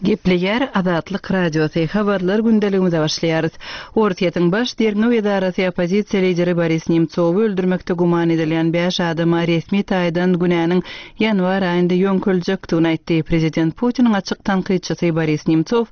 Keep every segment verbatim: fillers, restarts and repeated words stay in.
Gepleýär Azatlyk Radiosy, Habarlar gündeligimize başlaýarys. Orsýetiň Baş derňew edarasy oppozisiýa lideri Boris Nemtsowy öldürmekde güman edilýän bäş adama resmi taýdan günäniň ýanwar aýynda ýöňkeljekdigini aýtdy. Prezident Putiniň açyk tankytçysy Boris Nemtsow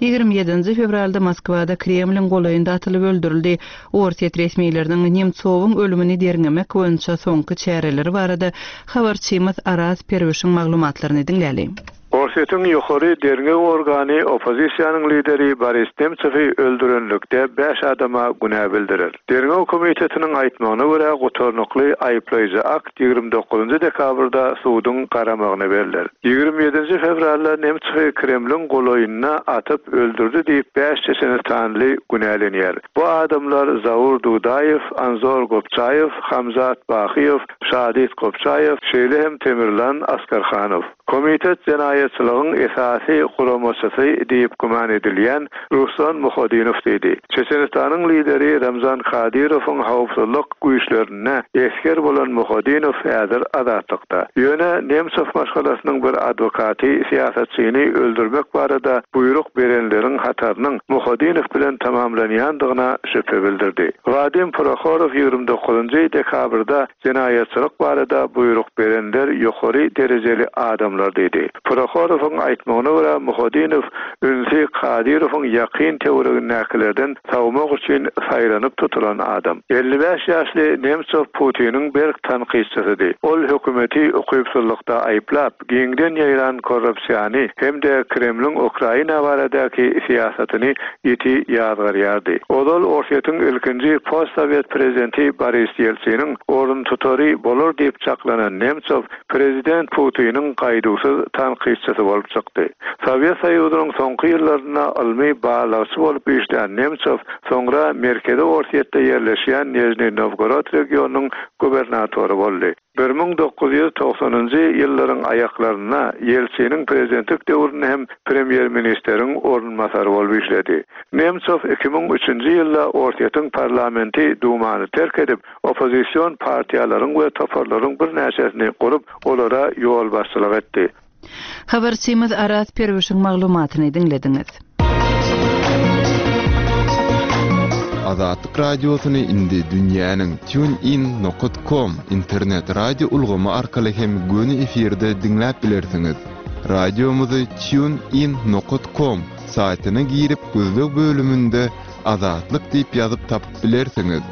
ýigrimi ýedinji fewralda Moskwada Kremliň golaýynda atylyp öldürildi. Orsýet resmileriniň Nemtsowyň ölümini derňemek boýunça soňky çäreleri barada habarçymyz Araz Perwişiň maglumatlaryny diňläli. Orsýetiň ýokary derňew organy oppozisiýanyň lideri Boris Nemtsowy öldürenlikde bäş adama günä bildirer. Derňew komitetiniň aýtmagyna görä, gutarnykly aýyplaýjy akt ýigrimi dokuzynjy dekabrda suduň garamagyna berler. Ýigrimi ýedinji fewralda Nemtsowy Kremliň golaýynda atyp öldürdi diýip bäş çeçenistanly günälenýär. Bu adamlar Zaur Dudaýew, Anzor Gopçaýew, Hamzat Bahyýew, Şadit Gopçaýew, şeýle hem Temirlan Askarhanow. Komitet jenaýatçylygyň esasy guramaçysy diýip güman edilýän Ruslan Muhodinow diýdi. Çeçenistanyň lideri Ramzan Kadyrowyň howpsuzlyk güýçlerinde esger bolan Muhodinow häzir azatlykda. Ýöne Nemtsow maşgalasynyň bir adwokaty syýasatçyny öldürmek barada buýruk berenleriň hatarynyň Muhodinow bilen tamamlanýandygyna şübhe bildirdi. Wadim Prokhorow ýigrimi dokuzynjy dekabrda jenaýatçylyk barada buýruk berenler ýokary derejeli adamlar diýdi. Prokhorowyň aýtmagyna görä Muhodinow ünsi Kadyrowyň ýakyn töweregindäkilerden sawmak üçin saýlanyp tutulan adam. Elli bäş ýaşly Nemtsow Putiniň berk tankytçysydy. Ol hökümeti ukypsyzlykda aýyplap, giňden ýaýran korrupsiýany hem-de Kremliň Ukraina baradaky syýasatyny ýiti ýazgarýardy. Ozal Orsýetiň ilkinji postsovet prezidenti Boris Ýeltsiniň orun tutary bolar diýip çaklanan Nemtsow prezident Putiniň gaýduwsyz tankytçysy bolup çykdy. Sowet Soýuzynyň soňky ýyllarynda ylmy barlagçy bolup işlän Nemtsow soňra Merkezi Orsýetde ýerleşýän Nijniý Nowgorod regionynyň gubernatory boldy. Bir müň dokuz ýüz togsanynjy ýyllaryň aýaklarynda Ýeltsiniň prezidentlik döwründe hem premýer-ministeriň orunbasary bolup işledi. Nemtsow iki müň üçünji ýylda Orsýetiň parlamenti Dumany terk edip, oppozision partiýalaryň we toparlaryň birnäçesini gurup, olara ýolbaşçylyk etdi. Habarçymyz Araz Perwişiň maglumatyny diňlediňiz. Azatlyk radiosyny indi dünýäniň TuneIn nokta com internet radio ulgamy arkaly hem göni efirde diňläp bilersiňiz. Radiomyzy TuneIn nokta com saýtyna girip gözleg bölüminde Azatlyk diýip ýazyp tapyp bilersiňiz.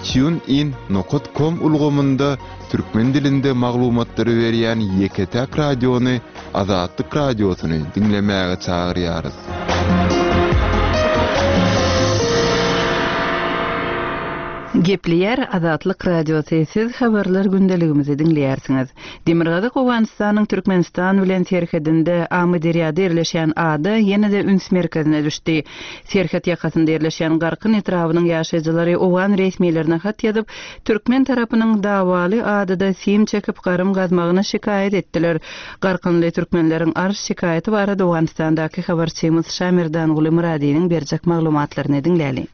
TuneIn nokta com ulgamynda türkmen dilinde maglumatlary berýän ýeke-täk radiony Azatlyk radiosyny diňlemäge çagyrýarys. Gepleýär Azatlyk radiosy, siz habarlar gündeligimizi diňleýärsiňiz. Demirgazyk Owganystanyň Türkmenistan bilen serhedinde Amyderýada ýerleşýän ada ýene-de üns merkezine düşdi. Serhet ýakasynda ýerleşýän Garkyn etrabynyň ýaşaýjylary owgan resmilerine hat ýazyp, türkmen tarapynyň dawaly adada sim çekip garym gazmagyna şikaýat etdiler. Garkynly türkmenleriň arz şikaýaty barada Owganystandaky habarçymyz Şamirdanguly Myradynyň berjek maglumatlaryny diňläli.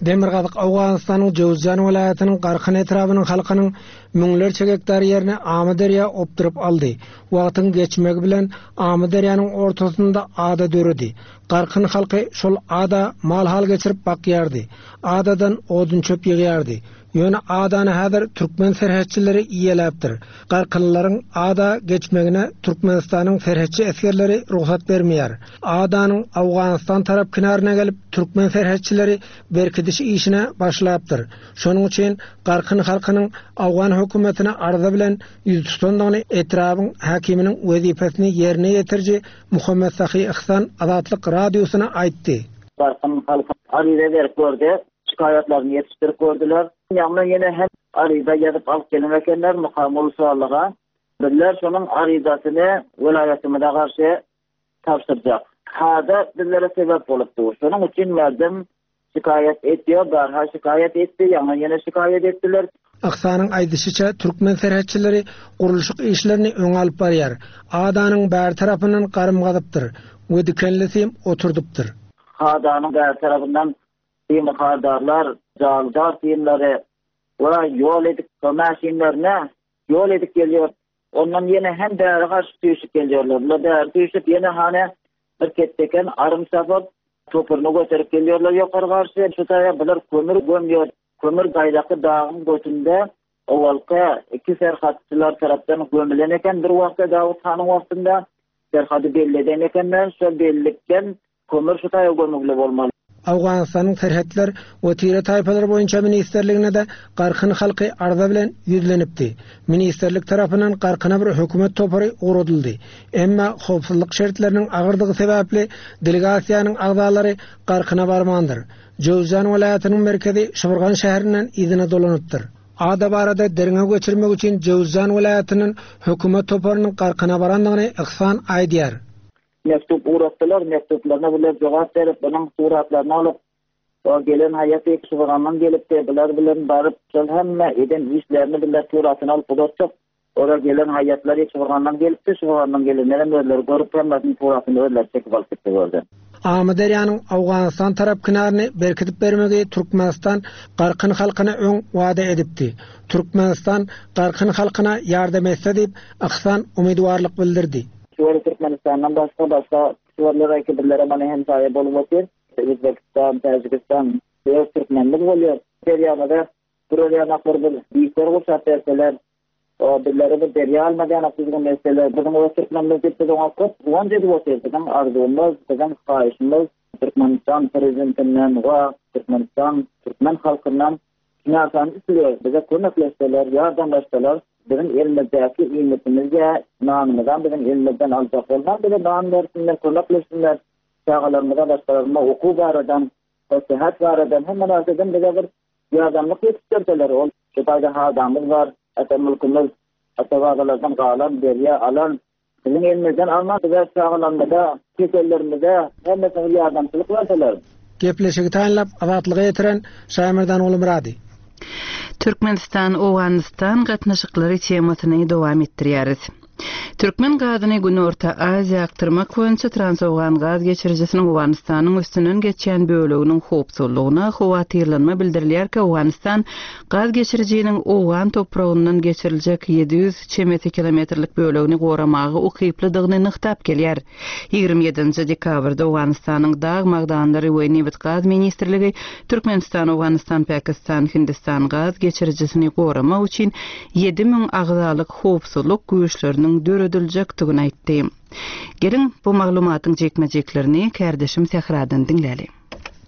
Demirgazyk Owganystanyň Jowzjan welaýatynyň Garkyn etrabynyň halkynyň müňlerçe gektar ýerini Amyderýa opduryp aldy. Wagtyň geçmegi bilen Amyderýanyň ortasynda ada döredi. Garkyn halky şol ada mal-hal geçirip bakýardy. Adadan odun çöp ýygýardy. Ýöne adany häzir türkmen serhetçileri iýeläpdir. Garkynlaryň ada geçmegine Türkmenistanyň serhetçi esgerleri rugsat bermeýär. Adanyň Owganystan tarap kenaryna gelip türkmen serhetçileri berkidiş işine başlapdyr. Şonuň üçin Garkyn halkynyň Owgan hökümetine arza bilen ýüz tutandygyny etrabyň häkiminiň wezipesini ýerine ýetiriji Muhammet Sahy Ihsan Azatlyk radiosyna aýtdy. Garkyn halky arza berip gördi, şikaýatlaryny ýetişdirip gördüler. Ýagny ýene hem arza ýazyp alyp gelen ekenler mukamul suallyga. Bizler şonuň arzasyny welaýatymyza garşy tabşyrjak. Hada bizlere sebäp bolupdy. Şonuň üçin merdim şikaýat etdi, barha şikaýat etdi, ýagny ýene şikaýat etdiler. Aksanyň aýdyşyça türkmen serhetçileri gurluşyk işlerini öňe alyp barýar. Adanyň bär tarapyndan garym gazypdyr we dikenli sim oturdypdyr. Adanyň bär tarapyndan sim hardarlar, jaldar simleri we ýol edip maşynlaryna ýol edip gelýär. Ondan ýene hem bäri garşy düşüp gelýärler. Bular bäri düşüp ýene hany Bir ketdeken arym çapyp, topuryny göterip gelýärler ýokary garşy. Şu taýa bular kömür gömýär. Kömür gaýdaky dagyň götünde owalky iki serhatçylar tarapdan gömülen eken bir wagtda Dawut hanyň wagtynda serhady belli eden ekenler. Şol bellikden kömür şu taýa gömügli bolmaly. Owganystanyň Serhetler we Tire taýpalary boýunça ministrligine-de Garkyn halky arza bilen ýüzlenipdi. Ministrlik tarapyndan Garkyna bir hökümet topary ugradyldy. Emma howpsuzlyk şertleriniň agyrdygy sebäpli delegasiýanyň agzalary Garkyna barmandyr. Jöwzjan welaýatynyň merkezi Şybyrgan şäherinden yzyna dolanypdyr. Ada barada derňew geçirmek üçin Jöwzjan welaýatynyň hökümet toparynyň Garkyna barandygyny Ihsan aýdýar. Mektup uğratdylar, mektuplaryna bular jogap berip, bunuň suratlaryny alyp, o gelen haýat Şybyrgandan gelipdi, bular bilen baryp, şol hemme eden işlerini bular suratyny alyp udatdyk. Ora gelen haýatlar Şybyrgandan gelipdi, Şybyrgandan gelenler hem özleri görüp, hemmesiniň suratyny özleri çekip alyp gitdi gördü. Amyderýanyň Owganystan tarap kenaryny berkidip bermegi Türkmenistan Garkyn halkyna öň wada edipdi. Türkmenistan Garkyn halkyna ýardam etse diýip Ihsan umytwarlyk bildirdi. Şuwary Türkmenistandan başga başga şuwarlar aýky birlere mana hem saýa bolup otyr. Özbekistan, Täjigistan, öz türkmenlik bolýar. Derýada buralýan aklar bir diýipler gurşap berseler, o birlere bir derýa almadan akdyzgyn mesele, biziň öz türkmenimiz diýip biz oňa köp guwanç edip otyrys. Biziň arzuwymyz, biziň haýyşymyz Türkmenistan prezidentinden we Türkmenistan türkmen halkyndan şunarsan isliyor. Bize kömekleşseler, ýardamlaşsalar, biziň elimizdäki iýmitimizge, nanymyzdan biziň elimizden aljak bolman, bize nan bersinler, kömekleşsinler, çagalarymyza, başgalarymyza okuw baradan, seyahat baradan hemme narseden bize bir ýardamlyk ýetişdirseler, ol şu taýda hadamyz bar, ata mülkümüz, ata babalardan galan, derýa alan, biziň elimizden alman, bize çagalarymyza, kesellerimize hemmesine ýardamçylyk berseler. Gepleşigi taýynlap Azatlyga ýetiren Şaýmerdan Ulumyrady. Türkmenistan Owganystan gatnaşyklary temasyny dowam etdirýäris. Türkmen gazyny Günorta Aziýa akdyrmak boýunça Transowgan gaz geçirijisiniň Owganystanyň üstünden geçýän böleginiň howpsuzlygyna howatyrlanma bildirilýärkä Owganystan gaz geçirijiniň Owgan topragyndan geçiriljek ýedi ýüz çemesi kilometrlik bölegini goramaga ukyplydygyny nygtap gelýär. Ýigrimi ýedinji dekabrda Owganystanyň Dag magdanlary we Nebit gaz ministrligi Türkmenistan, Owganystan, Pakistan, Hindistan gaz geçirijisini goramak üçin ýedi müň agzalyk howpsuzlyk güýçleriniň dörediljekdigini aýtdy. Geliň bu maglumatyň jekme-jeklerini kärdeşim Sähradan diňläli.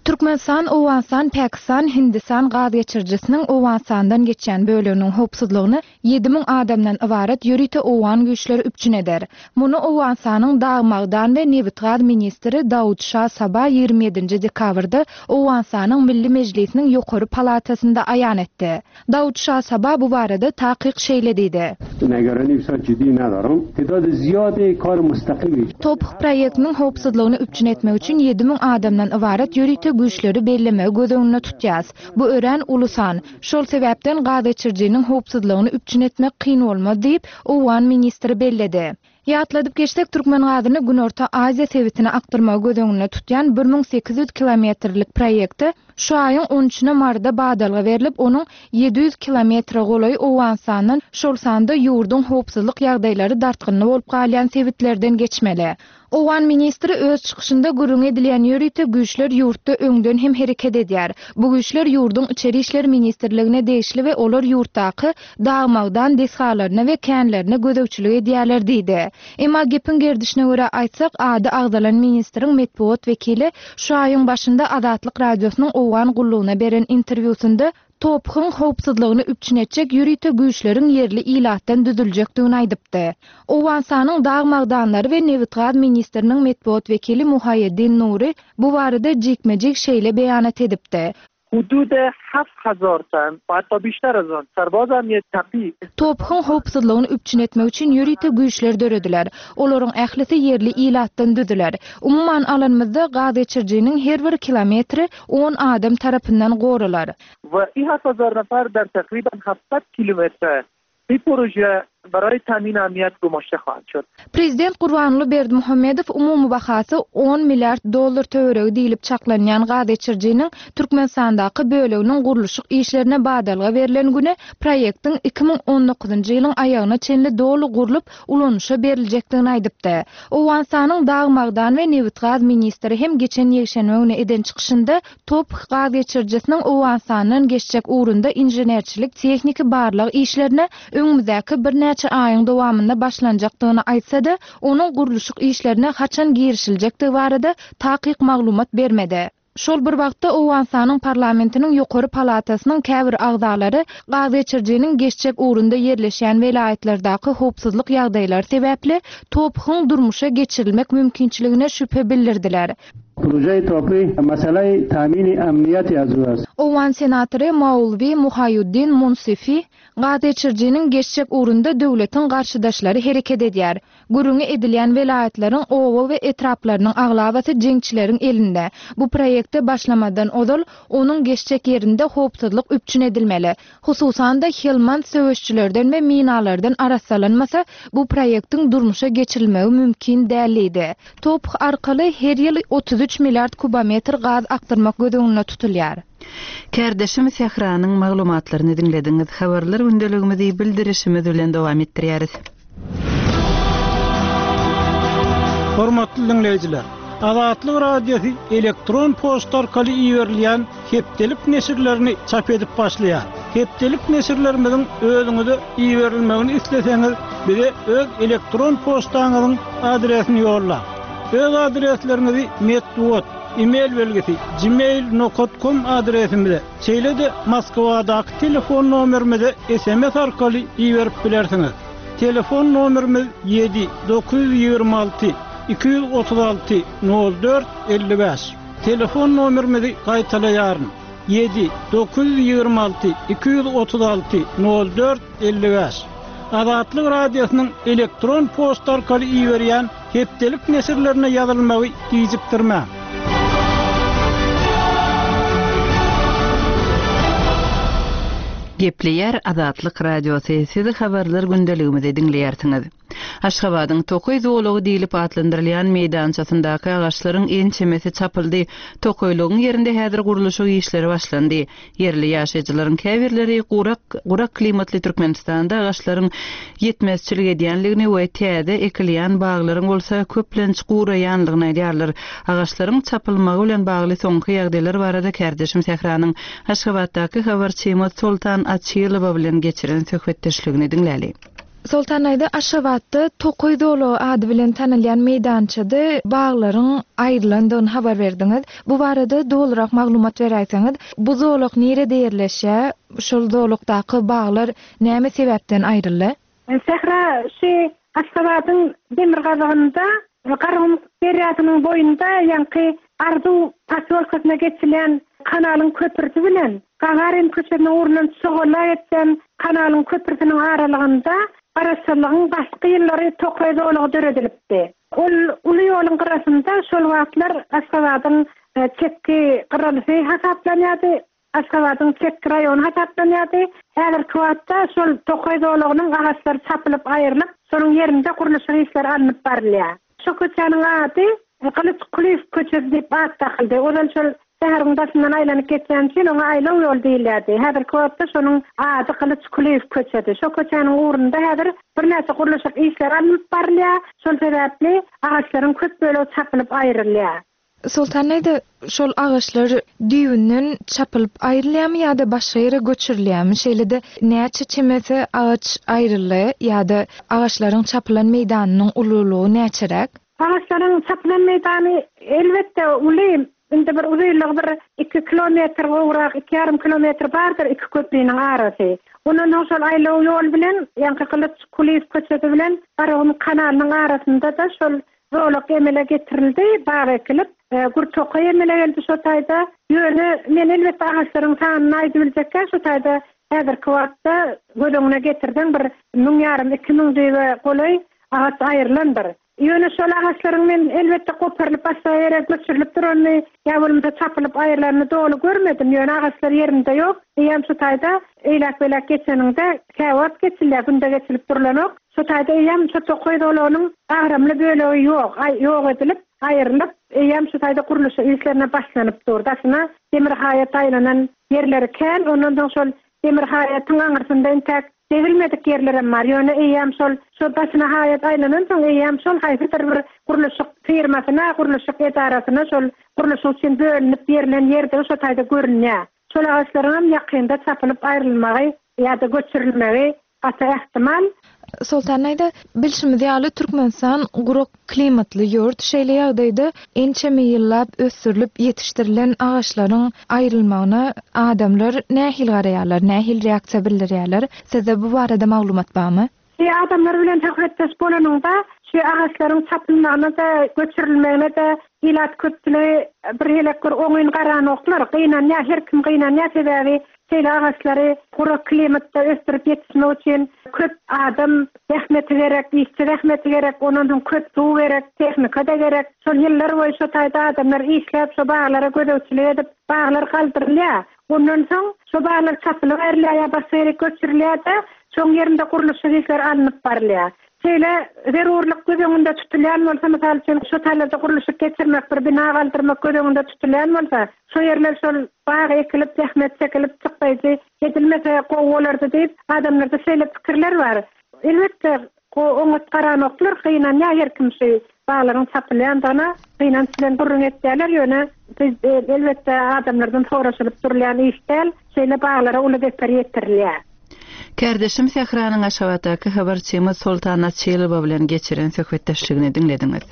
Türkmenistan, Owganystan, Pakistan, Hindistan gaz geçirijisiniň Owganystandan geçýän böleginiň howpsuzlygyny ýedi müň adamdan ybarat ýörite owgan güýçleri üpjün eder. Muny Owganystanyň Dag magdan we Nebit gaz ministri Dawut Şah Saba ýigrimi ýedinji dekabrda Owganystanyň Milli Mejlisiniň ýokary palatasynda aýan etdi. Dawut Şah Saba bu barada takyk şeýle diýdi. Negarani bisar ciddi nadaram. Tedad ziyade kar mustaqim. Top proýektiniň howpsuzlygyny üpjün etmek üçin ýedi müň adamdan ybarat ýörite güýçleri bellemegi göz öňünde tutýas. Bu ören ulusan. Şol sebäpden gaz geçirijiniň howpsuzlygyny üpjün etmek kyn bolmaz diýip, Owgan ministri belledi. Ýatladyp geçsek, Türkmen gazyny Günorta Aziýa sebitine akdyrmagy göz öňünde tutýan bir müň sekiz ýüz kilometrlik proýekti şu aýyň on üçüne Marda badalga berlip, onuň ýedi ýüz kilometre golaý Owganystandan, şol sanda ýurduň howpsuzlyk ýagdaýlary dartgynly bolup galýan sebitlerden geçmeli. Owgan ministri öz çykyşynda gürrüň edilýän ýörite güýçler ýurtda öňden hem hereket edýär. Bu güýçler ýurduň Içeri İşler Ministrligine degişli we olar ýurtdaky dag-magdan desgalaryna we känlerine gözegçilik edýärler diýdi. Emma gepiň gerdişine görä aýtsak, ady agzalan ministriň metbugat wekili şu aýyň başynda Azatlyk Radiosynyň Owgan gullugyna beren interwýusynda Tophuň howpsuzlygyny üpjün etjek ýörite güýçleriň ýerli ilatdan düzüljekdigini aýdypdy. Owganystanyň Dag magdanlary we Nebit gaz ministriniň metbugat wekili Muhaýeddin Nuri bu barada jikme-jik şeýle beýanat edipdi. Hudud heft hazar ton, hatta بیشتر از آن سرباز امنیت تپی. Tophuň howpsuzlygyny üpjün etmek üçin ýörite güýçler dörediler. Olaryň ählisi ýerli ilatdan düzüler. Umuman alanymyzda gaz geçirijiniň her bir kilometri on adam tarapyndan goralar. We ih heft hazar nafar der takriben heftsat kilometre bir proje برای تامین امنیت گماشته خواهند شد. Prezident Gurbanguly Berdimuhamedow umumy bahasy on milliard dollar töweregi diýlip çaklanýan gazgeçirijiniň Türkmenistandaky böleginiň gurluşyk işlerine badalga berlen güne proýektiň iki müň on dokuzynjy ýylyň aýagyna çenli doly gurlup ulanyşa beriljekdigini aýdypdy. Owganystanyň dag magdan we nebitgaz ministri hem geçen ýekşenbe güni eden çykyşynda Top gazgeçirijisiniň Owganystandan geçjek ugrunda inženerçilik tehniki barlag işlerine öňümizdäki birnäçe aýyň dowamynda başlanjakdygyny aýtsa-da, onuň gurluşyk işlerine haçan girişiljekdigi barada takyk maglumat bermedi. Şol bir wagtda Owganystanyň parlamentiniň ýokary palatasynyň käbir agzalary gazgeçirijiniň geçjek ugrunda ýerleşýän welaýatlardaky howpsuzlyk ýagdaýlary sebäpli Tophyň durmuşa geçirilmek mümkinçiligine şübhe bildirdiler. Proje Tophy meselei tamini amniyeti az ast. Owgan senatory Maulvi Muhaýuddin Munsifi gazgeçirijiniň geçjek ugrunda döwletiň garşydaşlary hereket edýär. Gürrüňi edilýän welaýatlaryň owa we etraplarynyň aglabasy jeňçileriň elinde. Bu proýekte başlamadan ozal onuň geçjek ýerinde howpsuzlyk üpjün edilmeli. Hususan-da Helmand söweşçilerden we minalardan arassalanmasa bu proýektiň durmuşa geçirilmegi mümkin däldi. Toph arkaly her ýyl otuz üç milliard kubometr gaz akdyrmak göz öňünde tutulýar. Kärdeşim Sähranyň maglumatlaryny diňlediňiz. Habarlar gündeligimizi bildirişimiz bilen dowam etdirýäris. Hormatly dinleýjiler, Azatlyk Radiosy elektron poçta arkaly iberilýän hepdelik neşirlerini çap edip başlaýar. Hepdelik neşirlerimiziň özüňize iberilmegini isleseňiz, bize öz elektron poçtaňyzyň adresini ýollaň. Öz adresleriňizi metbugat, e-mail belgisi gmail nokta com adresimize, şeýle-de Moskwadaky telefon nomerimize S M S arkaly iberip bilersiňiz. Telefon nomerimiz ýedi dokuz ýüz ýigrimi alty iki ýüz otuz alty nol dört elli bäş. Telefon nomerimizi gaýtalaýaryn. Ýedi dokuz ýüz ýigrimi alty iki ýüz otuz alty nol dört elli bäş. Azatlyk Radiosynyň elektron poçta arkaly iberýän hepdelik neşirlerine ýazylmagy gijikdirmäň. Gepleýär Azatlyk Radiosy, sizi habarlar gündeligimizi diňleýärsiňiz. Aşgabadyň Tokaý zology diýlip atlandyrylýan meýdançasyndaky agaçlaryň ençemesi çapyldy. Tokaýlygyň ýerinde häzir gurluşyk işleri başlandy. Ýerli ýaşaýjylaryň käbirleri gurak, gurak klimatly Türkmenistanda agaçlaryň ýetmezçilik edýänligini we täze ekilýän baglaryň bolsa köplenç guraýanlygyny aýdýarlar. Agaçlaryň çapylmagy bilen bagly soňky ýagdaýlar barada kärdeşim Sähranyň Aşgabatdaky habarçymyz Soltan Açylowa bilen geçiren söhbetdeşligini diňläli. Soltan aýda Aşgabatda Tokaý zology ady bilen tanalýan meýdançada baglaryň aýrylandygyny habar berdiňiz. Bu barada dolurak maglumat beräýseňiz, bu zolak nirede ýerleşýär? Şol zolakdaky baglar näme sebäpden aýryldy? Sähra şu Aşgabadyň demirgazygynda Garagum derýasynyň boýunda ýaňky Arzuw posýolkasyna geçilýän kanalyň köprüsi bilen Gagarin köçesiniň ugrundan çogala geçen kanalyň köprüsiniň aralygynda Garaşsyzlygyň başky ýyllary tokaý zolagy döredilipdi. Ol uly ýoluň gyrasynda şol wagtlar Aşgabadyň, e, çetki gyralysy hasaplanýardy. Aşgabadyň çetki raýony hasaplanýardy. Häzirki wagtda şol tokaý zolagynyň agaçlary çapylyp aýrylyp, şonuň ýerinde gurluşyk işleri alnyp barylýar. Şu köçäniň ady Gylyç Kulyýew köçesi diýip at dakyldy. Ozal şol şäheriň daşyndan aýlanyp geçýän üçin oňa aýlaw ýol diýilýärdi. Häzirki wagtda şonuň ady Gylyç Kulyýew köçesi. Şu köçäniň ugrunda häzir birnäçe gurluşyk işleri alnyp barylýar. Şol sebäpli agaçlaryň köp bölegi çapylyp aýrylýar. Soltan aýda şol agaçlar düýbünden çapylyp aýrylýarmy ýa-da başga ýere göçürilýärmi? Şeýle-de näçe çemesi agaç aýryldy ýa-da agaçlaryň çapylan meýdanynyň ululygy näçeräk? Agaçlaryň çapylan meýdany elbetde uly. Indi bir uzynlygy bir iki kilometr gowrak, iki ýarym kilometr bardyr iki köprüniň arasy. Ondan soň şol aýlaw ýol bilen, ýaňky Gylyç Kulyýew köçesi bilen Garagum kanalynyň arasynda da şol zolak emele getirildi, bag ekilip, e, gür tokaý emele geldi şo taýda. Ýöne men elbetde agaçlaryň sanyny aýdyp biljekkä, şo taýda häzirki wagtda göz öňüne getirden bir müň ýarym, iki müň düýbe golaý agaç aýrylandyr. Ýöne şol agaçlaryň men elbetde goparylyp başga ýere göçürilip duranyny ýa bolmasa çapylyp aýrylanyny doly görmedim. Ýöne agaçlar ýerinde ýok. Eýýäm şu taýda eýläk-beýläk geçeniňde käwagt geçilýär, günde geçilip durlanok. Şu taýda eýýäm şu tokaý zolagynyň agramly bölegi ýok, ýok edilip, aýrylyp, eýýäm şu taýda gurluşyk işlerine başlanyp dur. Daşyna demir haýat aýlanan ýerleri kän, ondan soň şol demir haýatyň aňyrsynda intäk degilmedik ýerlerem bar. Ýöne eýýäm şol şo daşyna haýat aýlanansoň eýýäm şol haýsydyr bir gurluşyk firmasyna, gurluşyk edarasyna şol gurluşyk üçin bölünip berlen ýerdigi şo taýda görünýär. Şol agaçlaryňam ýakynda çapylyp aýrylmagy ýa-da göçürilmegi gaty ähtimal. Soltan aýda, bilşimiz ýaly Türkmenistan gurak klimatly ýurt. Şeýle ýagdaýda ençeme ýyllap ösdürilip ýetişdirilen agaçlaryň aýrylmagyna adamlar nähili garaýarlar, nähili reaksiýa bildirýärler? Sizde bu barada maglumat barmy? Şu adamlar bilen söhbetdeş bolanyňda, şu agaçlaryň çapylmagyna-da, göçürilmegine-de ilat köpçüligi bir helek bir oňyn garanoklar, gynanýar, her kim gynanýar, sebäbi şeýle agaçlary gurak klimatda ösdürip ýetişmek üçin köp adam zähmeti gerek, işçi zähmeti gerek, ondan soň köp suw gerek, tehnika-da gerek. Şol ýyllar boýy şo taýda adamlar işläp, şo baglara gözegçilik edip, baglar galdyrylýar. Ondan soň şo baglar çapylyp aýrylýar ýa başga ýere göçürilýär-de, şoň ýerinde gurluşyk işleri alnyp barylýar. Şeýle zerurlyk göz öňünde tutulýan bolsa, mysal üçin, şo taýlarda gurluşyk geçirmek, bir bina galdyrmak göz öňünde tutulýan bolsa, şo ýerler şol bag ekilip, zähmet çekilip, çykdaýjy edilmese gowy bolardy diýip, adamlarda şeýle pikirler bar. Elbetde, oňat garanoklar, gynanýar her kim şu baglaryň çapylýandygyna, gynanç bilen gürrüň etýärler, ýöne biz elbetde adamlardan soraşylyp durulýan iş däl, şeýle baglara uly zeper ýetirilýär. Kärdeşim Sähranyň Aşgabatdaky habarçymyz Soltan Açylowa bilen geçiren söhbetdeşligini diňlediňiz.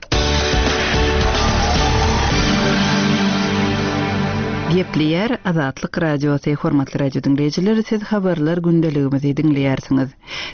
Gepleýär Azatlyk Radiosy, hormatly radio diňleýjiler, siz habarlar gündeligimizi diňleýärsiňiz.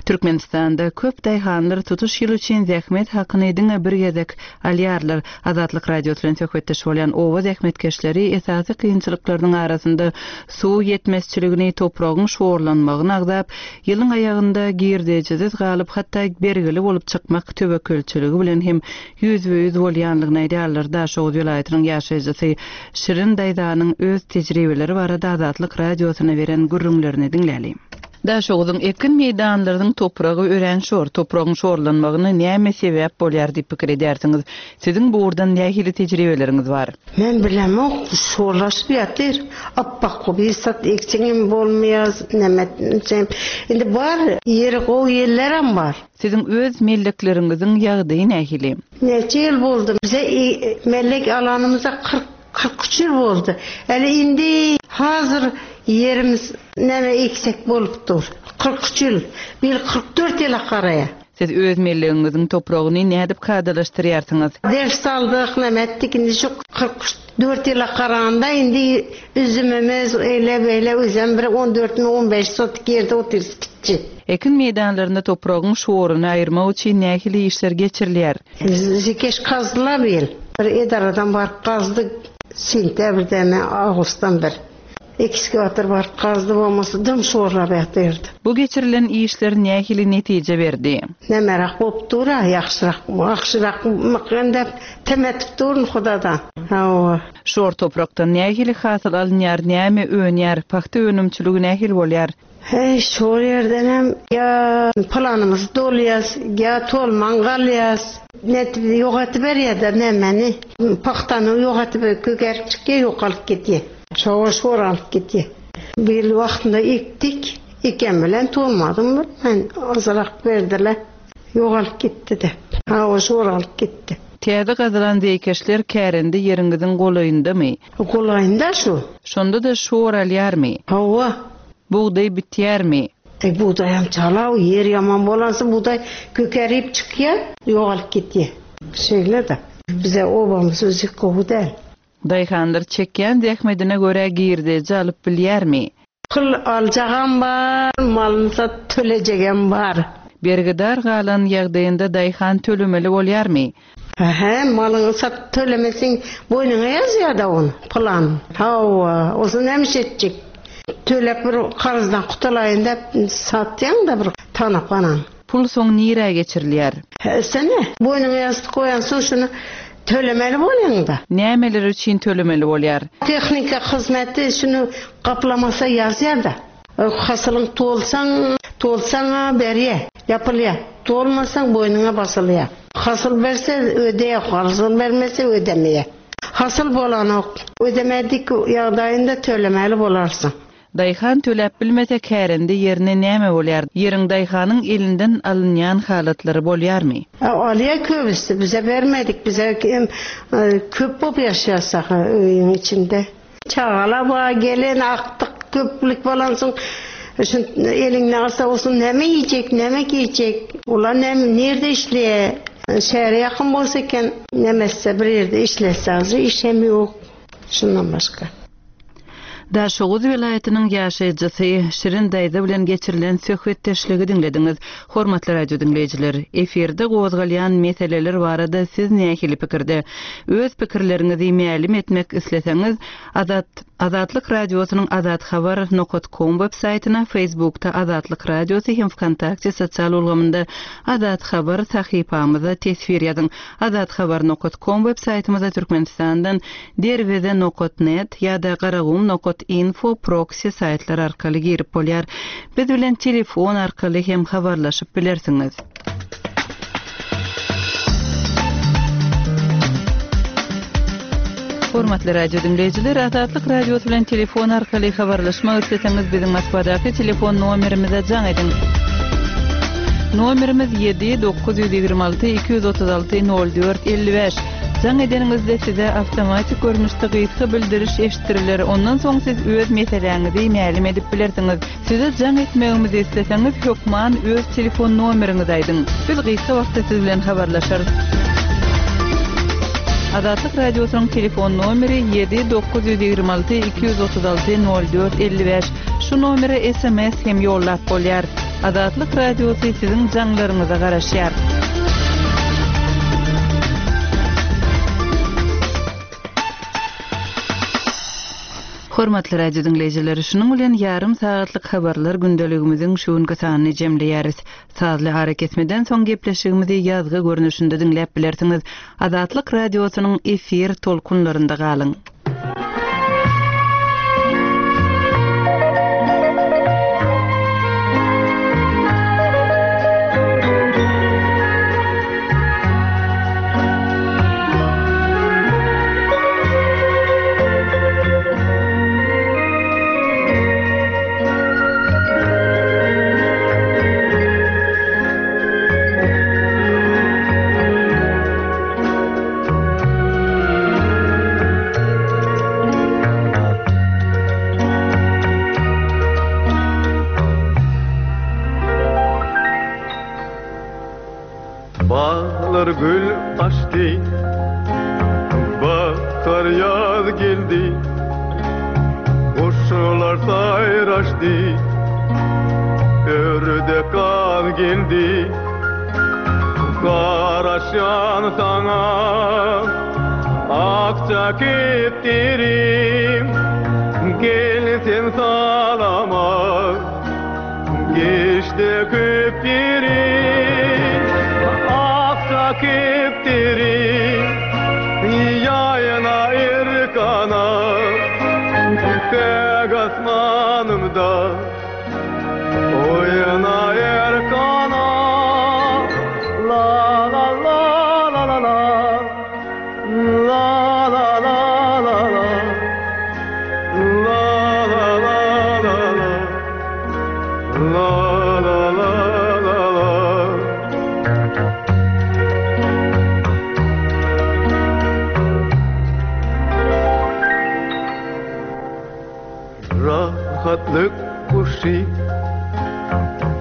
Türkmenistanda köp daýhanlar tutuş ýyl üçin zähmet hakyny diňe bir gezek alýarlar. Azatlyk Radiosy bilen söhbetdeş bolýan oba zähmetkeşleri esasy kynçylyklarynyň arasynda suw ýetmezçiligini, topragyň şorlanmagyny agzap, ýylyň aýagynda girdejisiz galyp, hatda bergili bolup çykmak töwekgelçiligi bilen hem ýüzbe-ýüz bolýanlygyny aýdýarlar. Daşoguz welaýatynyň ýaşaýjysy Şirin daýzanyň öz tejribeleri barada Azatlyk Radiosyna beren gürrüňlerini diňläli. Daşoguzyň ekin meýdanlarynyň topragy örän şor, topragyň şorlanmagyna näme sebäp bolýar diýip pikir edýärsiňiz? Siziň bu ugurdan nähili tejribeleriňiz bar? Men bilemok, şorlaşyp ýatyr. Appak bir sat ekseňem bolmaýar, näme etseň. Indi bar, ýeri gowy ýerlerem bar. Siziň öz mellekleriňiziň ýagdaýy nähili? Näçe ýyl boldy? Bize mellek alanymyza kyrk, kyrk üç ýyl boldy. Äli indi hazır ýerimiz näme eksek bolup dur. Kyrk üç ýyl, bir kyrk dört ýyl garaýa. Siz öz mellegiňiziň topragyny nädip kadalaşdyrýarsyňyz? Ders aldyk, näme etdik, indi şu kyrk dört ýyla garanda indi üzümimiz eýle beýle üzüm bir on dört mi on beş sotik ýerde otyrys kiçi. Ekin meýdanlarynda topragyň şoruny aýyrmak üçin nähili işler geçirilýär? Zekeş kazdylar bir ýyl. Bir edaradan baryp kazdy, sentýabrda mi, awgustdan bir. Ekskawator baryp kazdy, bolmasa dym şorlap ýatyrdy. Bu geçirilen işler nähili netije berdi? Nämeräk bolup dur-a, ýagşyrak, ýagşyrak mykgandap temetip durun Hudadan. Hawa. Şor toprakdan nähili hasyl alynýar, näme önýär, pagta önümçiligi nähili bolýar? Hey, şor ýerden hem ýa planymyz dolýas, ýa tolman galýas. Net ýok etip berýär-de nämeni. Pagtany ýok etip kökerip çykýar, ýok alyp gitýär. Şowa şor alyp gitýär. Bir ýyl wagtynda ekdik, eken bilen tolmadym, men azyrak berdiler. Ýok alyp gitdi de. Hawa, şor alyp gitdi. Täze gazylan zeýkeşler kärende ýeriňiziň golaýyndamy? Golaýynda şu. Şonda-da şor alýarmy? Hawa. Bugdaý bitýärmi? E, bugdaýam çalaw, ýer ýaman bolansa bugdaý kökerip çykýar, ýok alyp gitýär. Şeýle-de. Bize obamyz özi gowy däl. Daýhanlar çekýän zähmetine görä girdeji alyp bilýärmi? Pul aljagam bar, malyny sat tölejegem bar. Bergidar galan ýagdaýynda daýhan tölemeli bolýarmy? Aha, malyňy sat tölemeseň boýnuňa ýazýar-da ony, plan. Hawa, olsa näme iş etjek? Tölep bir karzdan gutulaýyn diýip satýaň-da bir tanap anan. Pul soň nirä geçirilýär? Sene, boýnuňa ýassyk goýansoň şuny tölemeli bolýaň-da. Nämeler üçin tölemeli bolýar? Tehnika hyzmaty şuny gaplamasa ýazýar-da. Hasylyň tolsaň, tolsaň-a berýär, ýapylýar. Tolmasaň boýnuňa basylýar. Hasyl berse ödeýär, hasyl bermese ödemeýär. Hasyl bolanok. Ödemedik ýagdaýynda tölemeli bolarsyň. Daýhan töläp bilmese kärende ýerine näme bolýar? Ýeriň daýhanyň elinden alynýan halatlary bolýarmy? Alýar köbüsi, bize bermedik, bize köp bolup ýaşaýas öýüň içinde. Çagalar bar, gelen akdyk köplük bolansoň şu eliňden alsa bolsun näme iýjek, näme geýjek? Olar näme nirde işleýär? Şähere ýakyn bolsa eken, näme etse bir ýerde işlese, işem ýok. Şundan başga. Daşoguz welaýatynyň ýaşaýjysy Şirin daýza bilen geçirilen söhbetdeşligi diňlediňiz. Hormatly radio diňleýjiler, efirde gozgalýan meseleler barada siz nähili pikirde? Öz pikirleriňizi mälim etmek isleseňiz, Azat Azatlyk radiosynyň azathabar nokat com web saýtyna, Facebookda Azatlyk radiosy hem Vkontakte sosial ulgamynda Azat Habar sahypamyza teswir ýazyň. Azathabar nokat com web saýtymyza Türkmenistandan derweze nokat net ýa-da garagum nokat info proxy saýtlar arkaly girip bolýar. Biz bilen telefon arkaly hem habarlaşyp bilersiňiz. Hormatly radio diňleýjiler, Azatlyk radiosy bilen telefon arkaly habarlaşmak isleseňiz biziň Moskwadaky telefon nomerimize jaň ediň. Nomerimiz ýedi dokuz ýüz ýigrimi alty iki ýüz otuz alty nol dört elli bäş. Jaň edeniňizde size awtomatik görnüşde gysga bildiriş eşitdiriler. Ondan soň siz öz meseläňizi mälim edip bilersiňiz. Size jaň etmegimizi isleseňiz hökman öz telefon nomeriňizi aýdyň. Biz gysga wagtda siz bilen habarlaşarys. Azatlyk radiosynyň telefon nomeri ýedi dokuz ýüz ýigrimi alty iki ýüz otuz alty nol dört elli bäş. Şu nomere S M S hem ýollap bolýar. Azatlyk radiosy siziň jaňlaryňyza garaşýar. Hormatly radio diňleýjiler, şunuň bilen ýarym sagatlyk habarlar gündeligimiziň şu günki sanyny jemleýäris. Sazly arakesmeden soň gepleşigimizi ýazgy görnüşinde diňläp bilersiňiz. Azatlyk radiosynyň efir tolkunlarynda galyň. Bağlar gül açtı, bahar yaz geldi, kuşlar sayraştı, ördek kaz geldi. Karaşan sana akça keptirim, gelsin salama, geçti köptirim. Akça keptirim, yayına irkana, tek asmanımda oyna erkana. La la la la la la, la la la la la, la la la la la, la la la la la. Rahatlyk kuşy,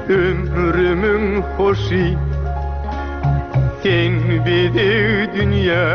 ömrümüň hoşy, sen bizi dünýä